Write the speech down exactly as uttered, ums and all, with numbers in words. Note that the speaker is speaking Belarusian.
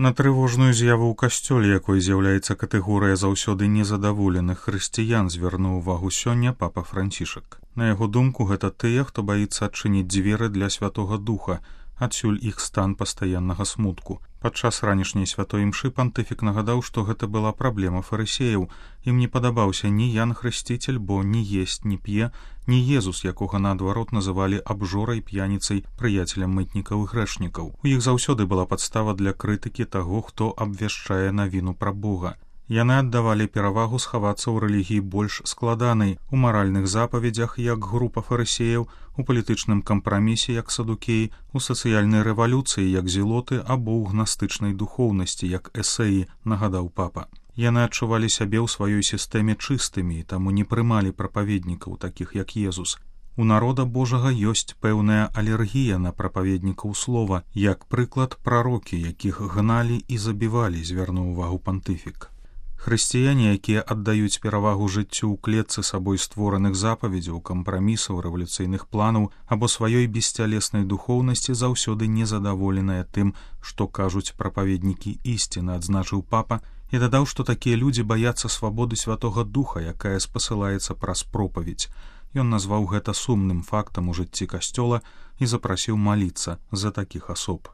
На трывожную з'яву ў касцёле, якой з'яўляецца катэгорыя заўсёды незадаволеных хрысціян, звярнуў увагу сёння папа Францішак. На яго думку, гэта тыя, хто баіцца адчыніць дзверы для Святога Духа, адсюль іх стан пастаяннага смутку. Падчас ранішняй святой імшы пантыфік нагадаў, што гэта была праблема фарысеяў. Ім не падабаўся ні Ян Хрысціцель, бо ні есць, ні п'е, ні Езус, якога наадварот называлі абжорай, п'яніцай, прыяцелем мытнікаў і грэшнікаў. У іх заўсёды была падстава для крытыкі таго, хто абвяшчае навіну пра Бога. Яны аддавалі перавагу схавацца ў рэлігіі больш складанай, у маральных запаведзях, як група фарысеяў, у палітычным кампрамісе, як садукеі, у сацыяльнай рэвалюцыі, як зелоты, або ў гнастычнай духоўнасці, як эсеі, нагадаў папа. Яны адчувалі сябе ў сваёй сістэме чыстымі, таму не прымалі прапаведнікаў, такіх як Езус. У народа Божага ёсць пэўная алергія на прапаведнікаў слова, як прыклад прарокі, якіх гналі і забівалі, звярнуў увагу пантыфік. Хрысціяне, якія аддаюць перавагу жыццю ў клетцы сабой створаных запаведзяў, кампрамісаў, рэвалюцыйных планаў або сваёй бесцялеснай духоўнасці, заўсёды незадаволеныя тым, што кажуць прапаведнікі ісціны, адзначыў папа, і дадаў, што такія людзі баяцца свабоды Святога Духа, якая спасылаецца праз пропаведзь. Ён назваў гэта сумным фактам у жыцці касцёла і запрасіў маліцца за такіх асоб.